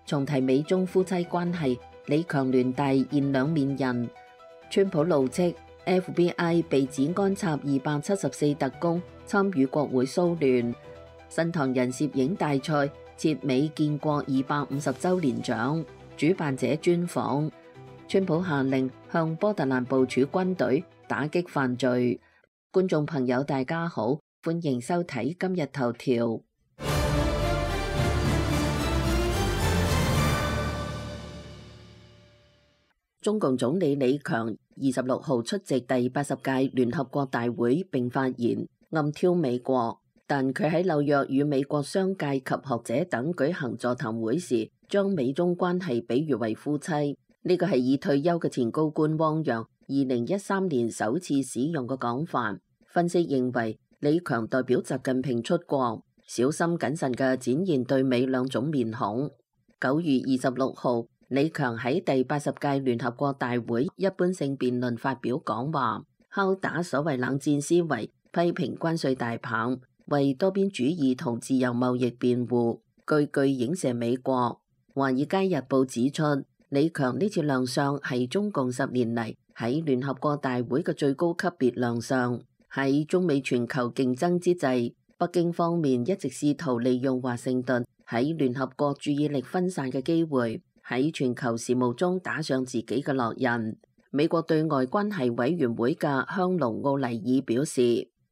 重提美中夫妻關係，李強聯大現兩面人。川普怒斥 FBI 被指安插274特工參與國會騷亂。新唐人攝影大賽撤美建國250週年獎，主辦者專訪。川普下令向波特蘭部署軍隊打擊犯罪。觀眾朋友大家好，歡迎收睇今日頭條。中共總理李強26號出席第80屆聯合國大會並發言，暗挑美國，但佢喺紐約與美國商界及學者等舉行座談會時，將美中關係比喻為夫妻。呢個係以退休嘅前高官汪洋2013年首次使用嘅講法。分析認為，李強代表習近平出國，小心謹慎嘅展現對美兩種面孔。9月26號，李強喺第80屆聯合國大會一般性辯論發表講話，敲打所謂冷戰思維，批評關稅大棒，為多邊主義同自由貿易辯護，句句影射美國。《華爾街日報》指出，李強呢次亮相係中共10年嚟喺聯合國大會嘅最高級別亮相。喺中美全球競爭之際，北京方面一直試圖利用華盛頓喺聯合國注意力分散嘅機會，喺全球事務中打上自己嘅烙印。美國對外關係委員會嘅香農奧尼爾表示，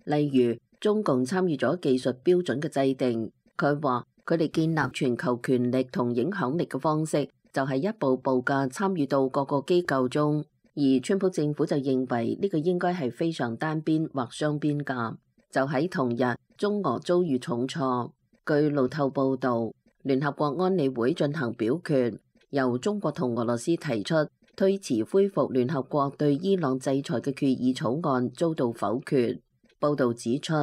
例如中共參與咗技術標準嘅制定，佢話佢哋建立全球權力同影響力嘅方式就係一步步嘅參與到各個機構中，而川普政府就認為呢個應該係非常單邊或雙邊㗎。就喺同日，中俄遭遇重挫。據路透報導，聯合國安理會進行表決，由中國同俄羅斯提出推遲恢復聯合國對伊朗制裁嘅決議草案遭到否決。報導指出，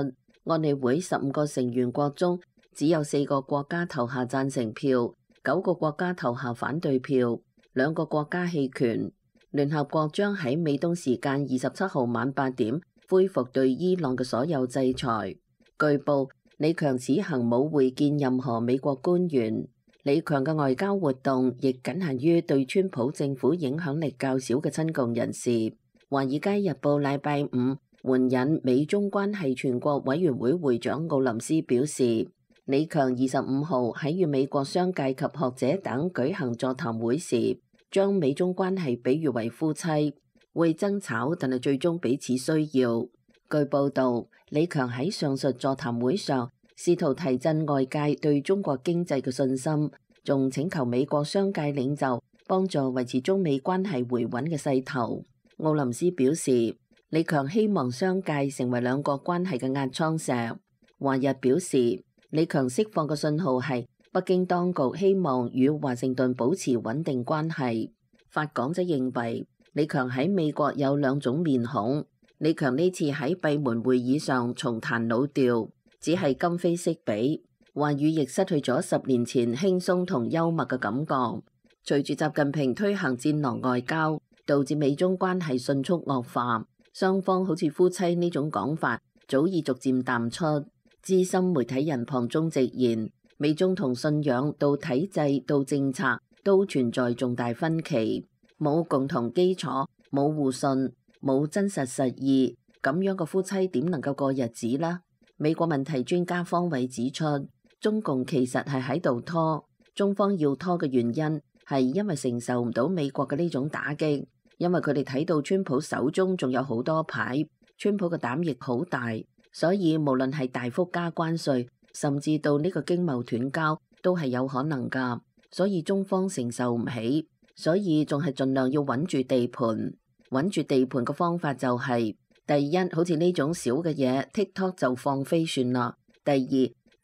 安理會15個成員國中只有4個國家投下贊成票，9個國家投下反對票，2個國家棄權。聯合國將喺美東時間27號晚8點恢復對伊朗嘅所有制裁。據報，李強此行冇會見任何美國官員。李強嘅外交活動亦僅限於對川普政府影響力較少嘅親共人士。《華爾街日報》禮拜五援引美中關係全國委員會會長奧林斯表示，李強25號喺與美國商界及學者等舉行座談會時，將美中關係比喻為夫妻，會爭吵，但係最終彼此需要。據報導，李強喺上述座談會上試圖提振外界對中國經濟嘅信心，仲請求美國商界領袖幫助維持中美關係回穩嘅勢頭。奧林斯表示，李強希望商界成為兩國關係嘅壓艙石。華日表示，李強釋放嘅信號係北京當局希望與華盛頓保持穩定關係。法廣則認為，李強喺美國有兩種面孔。李強呢次喺閉門會議上重彈老調，只係今非昔比，話語亦失去咗10年前輕鬆同幽默嘅感覺。隨住習近平推行戰狼外交，導致美中關係迅速惡化，雙方好似夫妻呢種講法早已逐漸淡出。資深媒體人龐中直言，美中從信仰到體制到政策都存在重大分歧，冇共同基礎，冇互信，冇真實實意，咁樣嘅夫妻點能夠過日子呢？美國問題專家方偉指出，中共其實係喺度拖，中方要拖嘅原因係因為承受唔到美國嘅呢種打擊，因為佢哋睇到川普手中仲有好多牌，川普嘅膽亦好大，所以無論係大幅加關稅，甚至到呢個經貿斷交都係有可能㗎，所以中方承受唔起，所以仲係盡量要穩住地盤。穩住地盤嘅方法就係，第一，好似呢種小嘅嘢 TikTok 就放飛算啦。第二，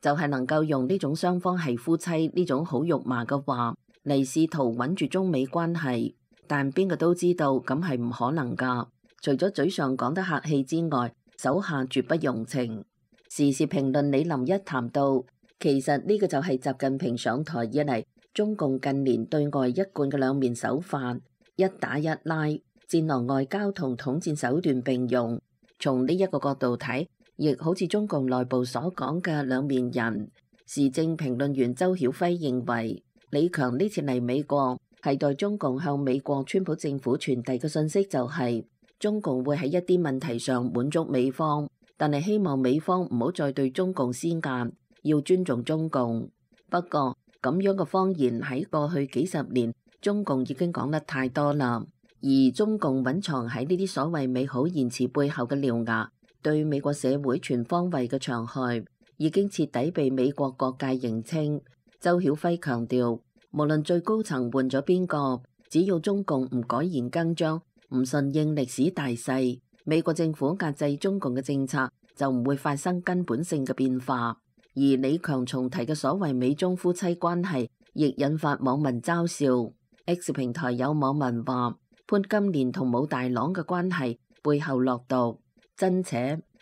就係能夠用呢種雙方係夫妻呢種好肉麻嘅話嚟試圖穩住中美關係，但邊個都知道咁係唔可能㗎。除咗嘴上講得客氣之外，手下絕不容情。時事評論李林一談到，其實呢個就係習近平上台以嚟中共近年對外一貫嘅兩面手法，一打一拉，戰狼外交同統戰手段並用。從呢一個角度睇，亦好似中共內部所講嘅兩面人。時政評論員周曉輝認為，李強呢次嚟美國係代中共向美國川普政府傳遞嘅信息，就係中共會喺一啲問題上滿足美方，但係希望美方唔好再對中共施壓，要尊重中共。不過咁樣嘅謊言喺過去幾十年中共已經講得太多啦，而中共隱藏喺呢啲所謂美好言辭背後嘅獠牙，對美國社會全方位嘅傷害已經徹底被美國各界認清。周曉輝強調，無論最高層換咗邊個，只要中共唔改弦更張，唔順應歷史大勢，美國政府壓制中共嘅政策就唔會發生根本性嘅變化。而李強重提嘅所謂美中夫妻關係，亦引發網民嘲笑。X 平台有網民話，潘金蓮同武大郎嘅關係背後落毒，真扯，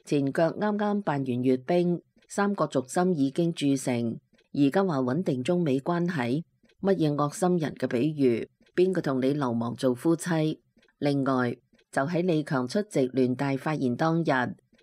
前腳啱啱辦完閱兵，三角軸心已經鑄成。而家話穩定中美關係，乜嘢惡心人嘅比喻？邊個同你流亡做夫妻？另外，就喺李強出席聯大發言當日，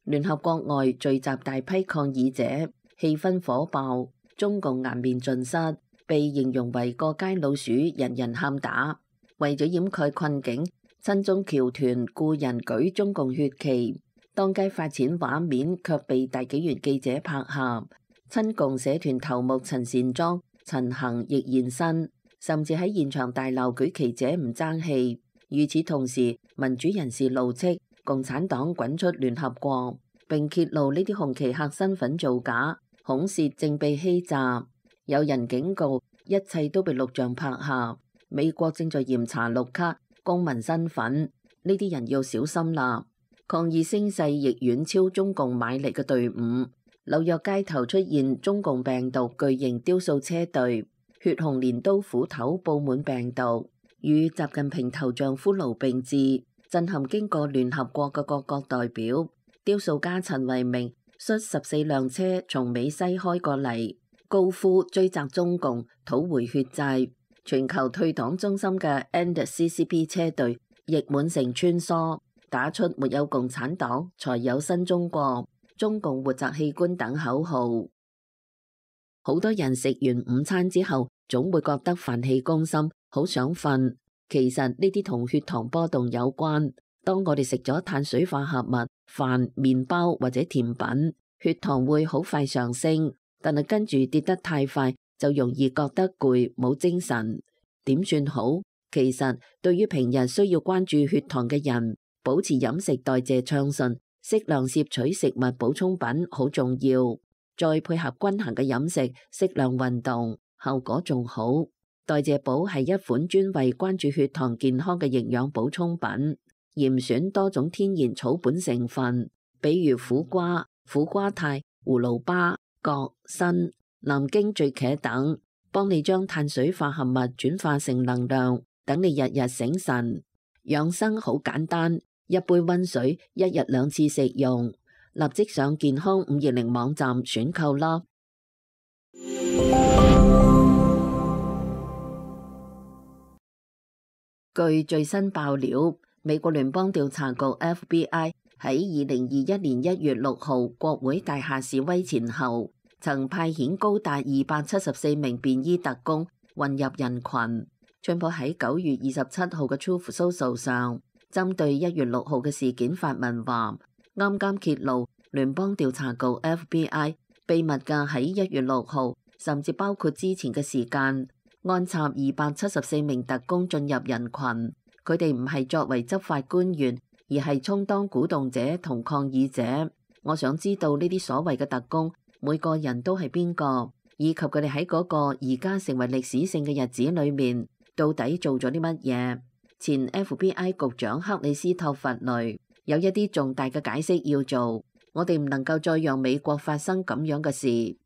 聯合國外聚集大批抗議者，氣氛火爆，中共顏面盡失，被形容為過街老鼠，人人喊打。為咗掩蓋困境，親中僑團雇人舉中共血旗，當街發錢畫面卻被大紀元記者拍下。親共社團頭目陳善莊、陳恒亦現身，甚至喺現場大鬧舉旗者唔爭氣。與此同時，民主人士怒斥共產黨滾出聯合國，並揭露呢啲紅旗客身份造假，孔涉正被欺詐。有人警告，一切都被錄像拍下，美國正在嚴查綠卡公民身份，呢啲人要小心啦。抗議聲勢亦遠超中共買嚟嘅隊伍。紐約街頭出現中共病毒巨型雕塑車隊，血紅鐮刀斧頭佈滿病毒，與習近平頭像骷髏並置，震撼經過聯合國嘅各國代表。雕塑家陳為明率14輛車從美西開過嚟，高呼追責中共，討回血債。全球退黨中心嘅 NCCP 車隊亦滿城穿梭，打出沒有共產黨才有新中國，中共活摘器官等口號。好多人食完午餐之後，總會覺得飯氣攻心，好想瞓。其實呢啲同血糖波動有關。當我哋食咗碳水化合物、飯、麵包或者甜品，血糖會好快上升，但係跟住跌得太快，就容易覺得攰，冇精神。點算好？其實對於平日需要關注血糖嘅人，保持飲食代謝暢順，適量攝取食物補充品好重要，再配合均衡嘅飲食，適量運動，效果仲好。代謝寶係一款專為關注血糖健康嘅營養補充品，嚴選多種天然草本成分，比如苦瓜、苦瓜肽、葫蘆巴、葛、參、南京醉茄等，幫你將碳水化合物轉化成能量，等你日日醒神。養生好簡單，一杯溫水，一日2次食用。立即上健康520網站選購啦！據最新爆料，美國聯邦調查局 FBI 喺2021年1月6號國會大廈示威前後，曾派遣高達274名便衣特工混入人群。川普喺9月27號嘅 Truth Social 上，針對1月6號嘅事件發文話，啱啱揭露聯邦調查局 FBI 秘密嘅喺1月6號，甚至包括之前嘅時間，安插274名特工進入人群。佢哋唔係作為執法官員，而係充當鼓動者同抗議者。我想知道呢啲所謂嘅特工，每個人都係邊個，以及佢哋喺嗰個而家成為歷史性嘅日子裏面，到底做咗啲乜嘢？前 FBI 局長克里斯托弗雷有一啲重大嘅解釋要做，我哋唔能夠再讓美國發生咁樣嘅事。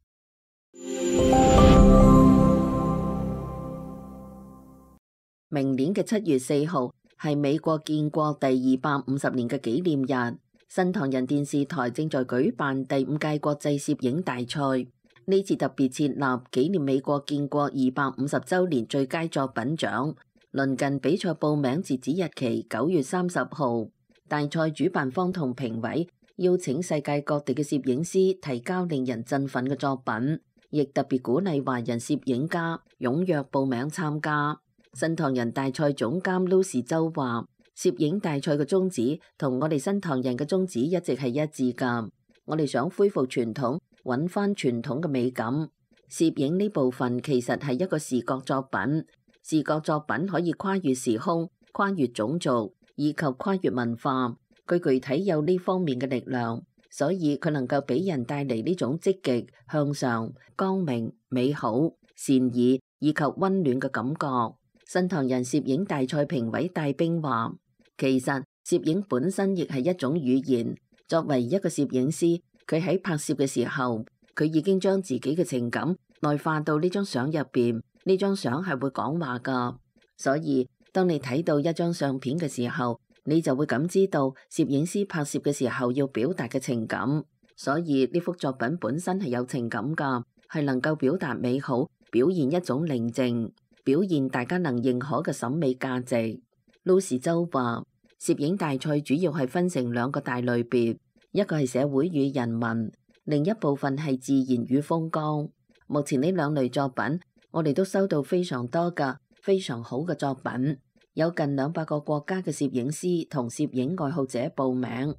明年嘅7月4號係美國建國第250年嘅紀念日，新唐人電視台正在舉辦第5屆國際攝影大賽。呢次特別設立紀念美國建國250週年最佳作品獎。鄰近比賽報名截止日期9月30號。大賽主辦方同評委邀請世界各地嘅攝影師提交令人振奮嘅作品，亦特別鼓勵華人攝影家踴躍報名參加。新唐人大賽總監 Lucy 周話：攝影大賽嘅宗旨同我哋新唐人嘅宗旨一直係一致㗎。我哋想恢復傳統，揾返傳統嘅美感。攝影呢部分其實係一個視覺作品，視覺作品可以跨越時空、跨越種族以及跨越文化。佢具體有呢方面嘅力量，所以佢能夠俾人帶嚟呢種積極、向上、光明、美好、善意以及溫暖嘅感覺。新唐人攝影大賽評委戴兵話：其實攝影本身亦係一種語言。作為一個攝影師，佢喺拍攝嘅時候，佢已經將自己嘅情感內化到呢張相入邊。呢張相係會講話㗎，所以當你睇到一張相片嘅時候，你就會感知到攝影師拍攝嘅時候要表達嘅情感。所以呢幅作品本身係有情感㗎，係能夠表達美好，表現一種寧靜，表現大家能認可嘅審美價值。Lucy 周話：攝影大賽主要係分成兩個大類別，一個係社會與人文，另一部分係自然與風光。目前呢兩類作品，我哋都收到非常多嘅非常好嘅作品，有近200個國家嘅攝影師同攝影愛好者報名。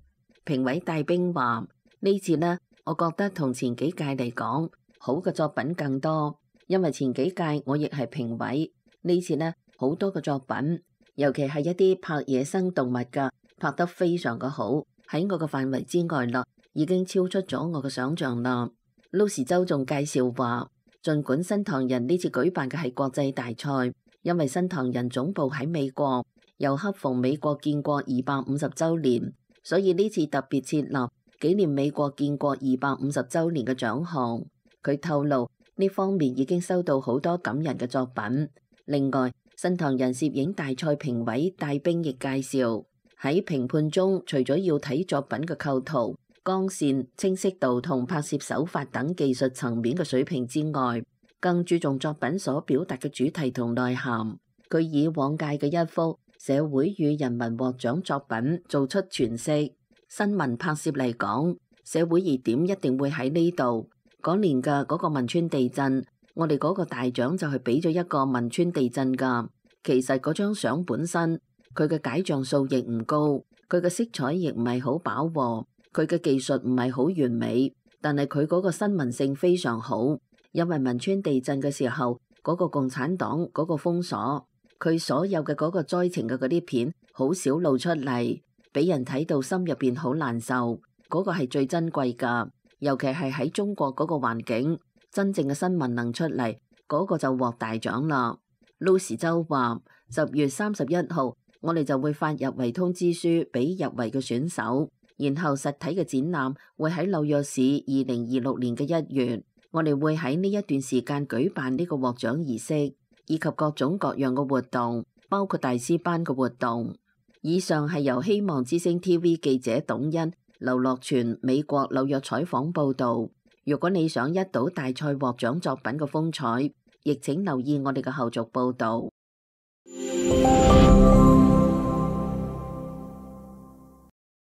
評委戴兵話：呢次呢，我覺得同前幾屆嚟講，好嘅作品更多。因為前幾屆我亦係評委，呢次呢，好多嘅作品，尤其係一啲拍野生動物嘅，拍得非常嘅好，喺我嘅範圍之外啦，已經超出咗我嘅想象啦。Lucy 周仲介紹話，儘管新唐人呢次舉辦嘅係國際大賽，因為新唐人總部喺美國，又恰逢美國建國250週年，所以呢次特別設立紀念美國建國250週年嘅獎項。佢透露，呢方面已經收到好多感人嘅作品。另外，新唐人攝影大賽評委戴兵亦介紹，喺評判中，除咗要睇作品嘅構圖、光線、清晰度同拍攝手法等技術層面嘅水平之外，更注重作品所表達嘅主題同內涵。佢以往屆嘅一幅社會與人文獲獎作品做出詮釋。新聞拍攝嚟講，社會熱點一定會喺呢度。嗰年嘅嗰個汶川地震，我哋嗰個大獎就係俾咗一個汶川地震㗎。其實嗰張相本身，佢嘅解像數亦唔高，佢嘅色彩亦唔係好飽和，佢嘅技術唔係好完美，但係佢嗰個新聞性非常好。因為汶川地震嘅時候，嗰個共產黨嗰個封鎖，佢所有嘅嗰個災情嘅嗰啲片好少露出嚟，俾人睇到心入邊好難受。嗰個係最珍貴㗎。尤其係喺中國嗰個環境，真正嘅新聞能出嚟，嗰個就獲大獎啦。Lucy 周話：10月31號，我哋就會發入圍通知書俾入圍嘅選手，然後實體嘅展覽會喺紐約市2026年嘅1月，我哋會喺呢一段時間舉辦呢個獲獎儀式，以及各種各樣嘅活動，包括大師班嘅活動。以上係由希望之聲 TV 記者董欣、劉樂全美國紐約採訪報導。如果你想一睹大賽獲獎作品嘅風采，亦請留意我哋嘅後續報導。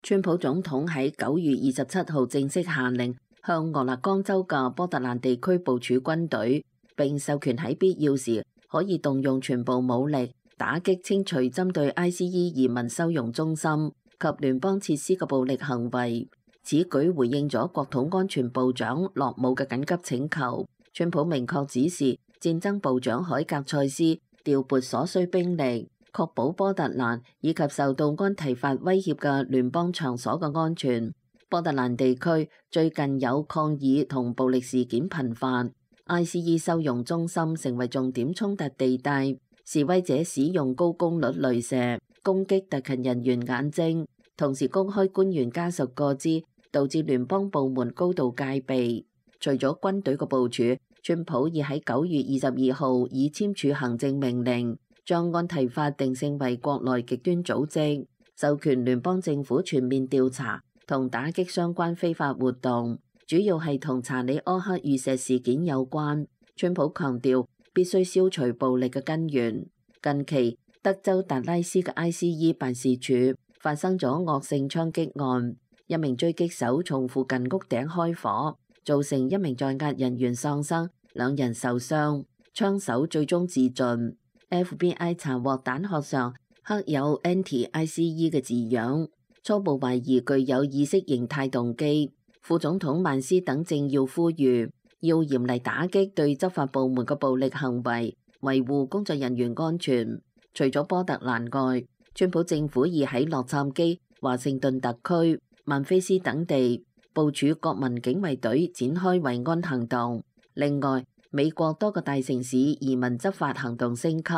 川普總統喺9月27號正式下令向俄勒岡州嘅波特蘭地區部署軍隊，並授權喺必要時可以動用全部武力打擊清除針對 ICE 移民收容中心及聯邦設施嘅暴力行為。此舉回應咗國土安全部長洛姆嘅緊急請求。川普明確指示戰爭部長海格塞斯調撥所需兵力，確保波特蘭以及受到安提法威脅嘅聯邦場所嘅安全。波特蘭地區最近有抗議同暴力事件頻繁，ICE 收容中心成為重點衝突地帶。示威者使用高功率雷射攻擊特勤人員眼睛，同時公開官員家屬個資，導致聯邦部門高度戒備。除咗軍隊嘅部署，川普已喺9月22號已簽署行政命令，將安提法定性為國內極端組織，授權聯邦政府全面調查同打擊相關非法活動，主要係同查理柯克遇刺事件有關。川普強調必須消除暴力嘅根源。近期，德州達拉斯嘅 ICE 辦事處發生咗惡性槍擊案，一名狙擊手從附近屋頂開火，造成一名在押人員喪生，2人受傷，槍手最終自盡。FBI 查獲彈殼上刻有 anti-ICE 嘅字樣，初步懷疑具有意識形態動機。副總統曼斯等政要呼籲要嚴厲打擊對執法部門嘅暴力行為，維護工作人員安全。除咗波特蘭外，川普政府已喺洛杉磯、華盛頓特區、曼菲斯等地部署國民警衛隊展開維安行動。另外，美國多個大城市移民執法行動升級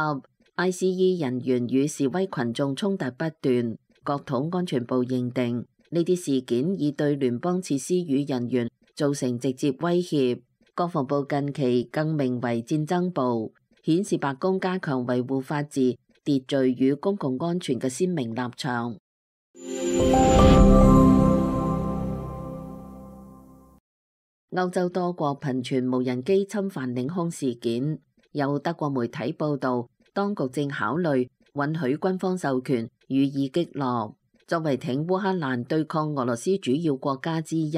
，ICE 人員與示威群眾衝突不斷。國土安全部認定呢啲事件已對聯邦設施與人員造成直接威脅。國防部近期更名為戰爭部，顯示白宮加強維護法治、秩序與公共安全嘅鮮明立場。歐洲多國頻傳無人機侵犯領空事件，有德國媒體報道，當局正考慮允許軍方授權予以擊落。作為挺烏克蘭對抗俄羅斯主要國家之一，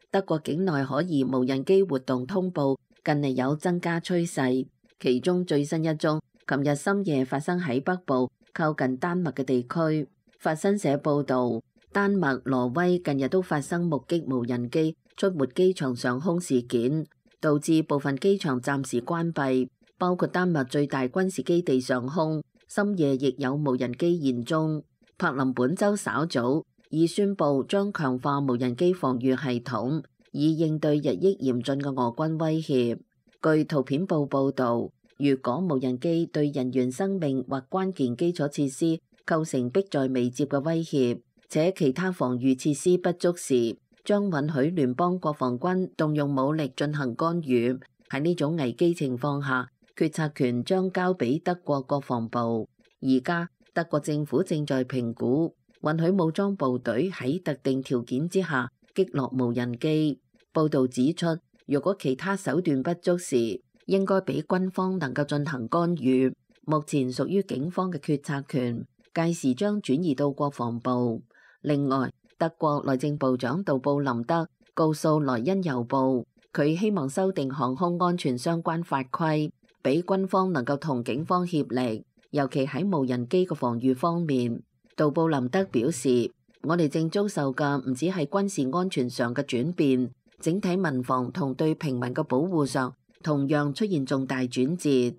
德國境內可疑無人機活動通報近嚟有增加趨勢，其中最新一宗，琴日深夜發生喺北部靠近丹麥嘅地區。法新社報導，丹麥、挪威近日都發生目擊無人機出沒機場上空事件，導致部分機場暫時關閉，包括丹麥最大軍事基地上空，深夜亦有無人機現蹤。柏林本週稍早已宣布將強化無人機防禦系統，以應對日益嚴峻嘅俄軍威脅。據圖片報報導，如果無人機對人員生命或關鍵基礎設施構成迫在眉睫嘅威脅，且其他防禦設施不足時，將允許聯邦國防軍動用武力進行干預。喺呢種危機情況下，決策權將交俾德國國防部。而家德國政府正在評估允許武裝部隊喺特定條件之下擊落無人機。報導指出，如果其他手段不足時，應該俾軍方能夠進行干預。目前屬於警方嘅決策權，屆時將轉移到國防部。另外，德國內政部長杜布林德告訴萊茵郵報，佢希望修訂航空安全相關法規，俾軍方能夠同警方協力，尤其喺無人機嘅防禦方面。杜布林德表示，我哋正遭受嘅唔止係軍事安全上嘅轉變，整體民防同對平民嘅保護上同樣出現重大轉折。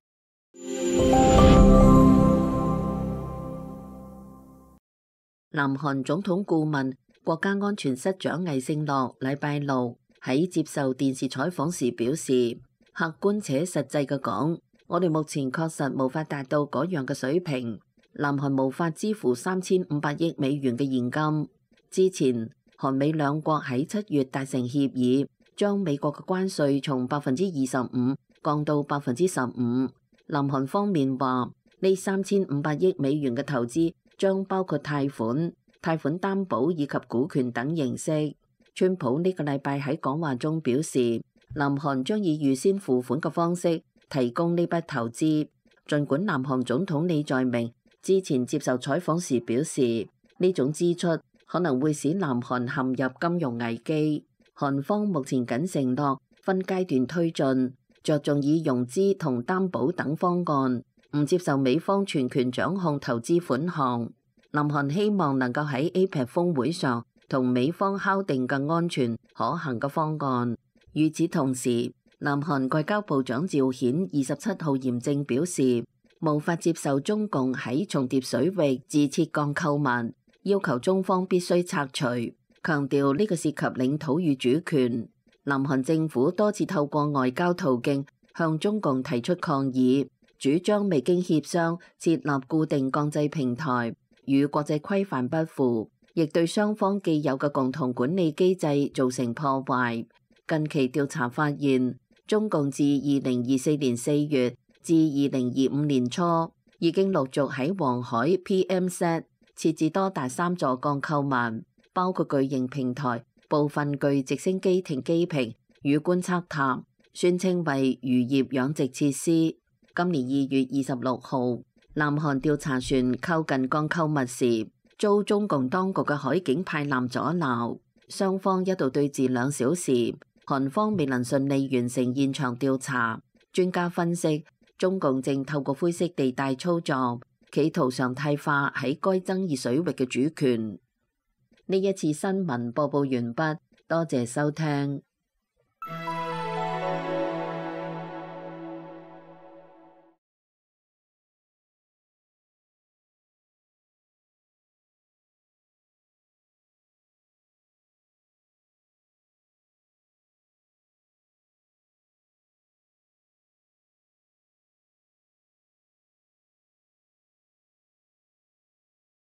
南韓總統顧問、國家安全室長魏聖諾禮拜六喺接受電視採訪時表示，客觀且實際嘅講，我哋目前確實無法達到嗰樣嘅水平。南韓無法支付3500億美元嘅現金。之前，韓美兩國喺7月達成協議，將美國嘅關稅從25%降到15%。南韓方面話，呢3500億美元嘅投資將包括貸款擔保以及股權等形式。川普呢個禮拜喺講話中表示，南韓將以預先付款嘅方式提供呢筆投資。儘管南韓總統李在明之前接受採訪時表示，呢種支出可能會使南韓陷入金融危機。韓方目前僅承諾分階段推進，着重以融資同擔保等方案，唔接受美方全權掌控投資款項。南韓希望能夠喺 APEC 峰會上同美方敲定更安全可行嘅方案。與此同時，南韓外交部長趙顯27號嚴正表示，無法接受中共喺重疊水域自設鋼構物，要求中方必須拆除，強調呢個涉及領土與主權。南韓政府多次透過外交途徑向中共提出抗議，主張未經協商設立固定鋼製平台，與國際規範不符，亦對雙方既有嘅共同管理機制造成破壞。近期調查發現，中共自2024年4月至2025年初，已經陸續喺黃海 PMZ 設置多達3座鋼構物，包括巨型平台、部分具直升機停機坪與觀測塔，宣稱為漁業養殖設施。今年2月26號，南韓調查船靠近鋼構物時，遭中共當局嘅海警派艦阻撓，雙方一度對峙2小時。韓方未能順利完成現場調查。專家分析，中共正透過灰色地帶操作，企圖常態化喺該爭議水域嘅主權。呢一次新聞播報完畢，多謝收聽。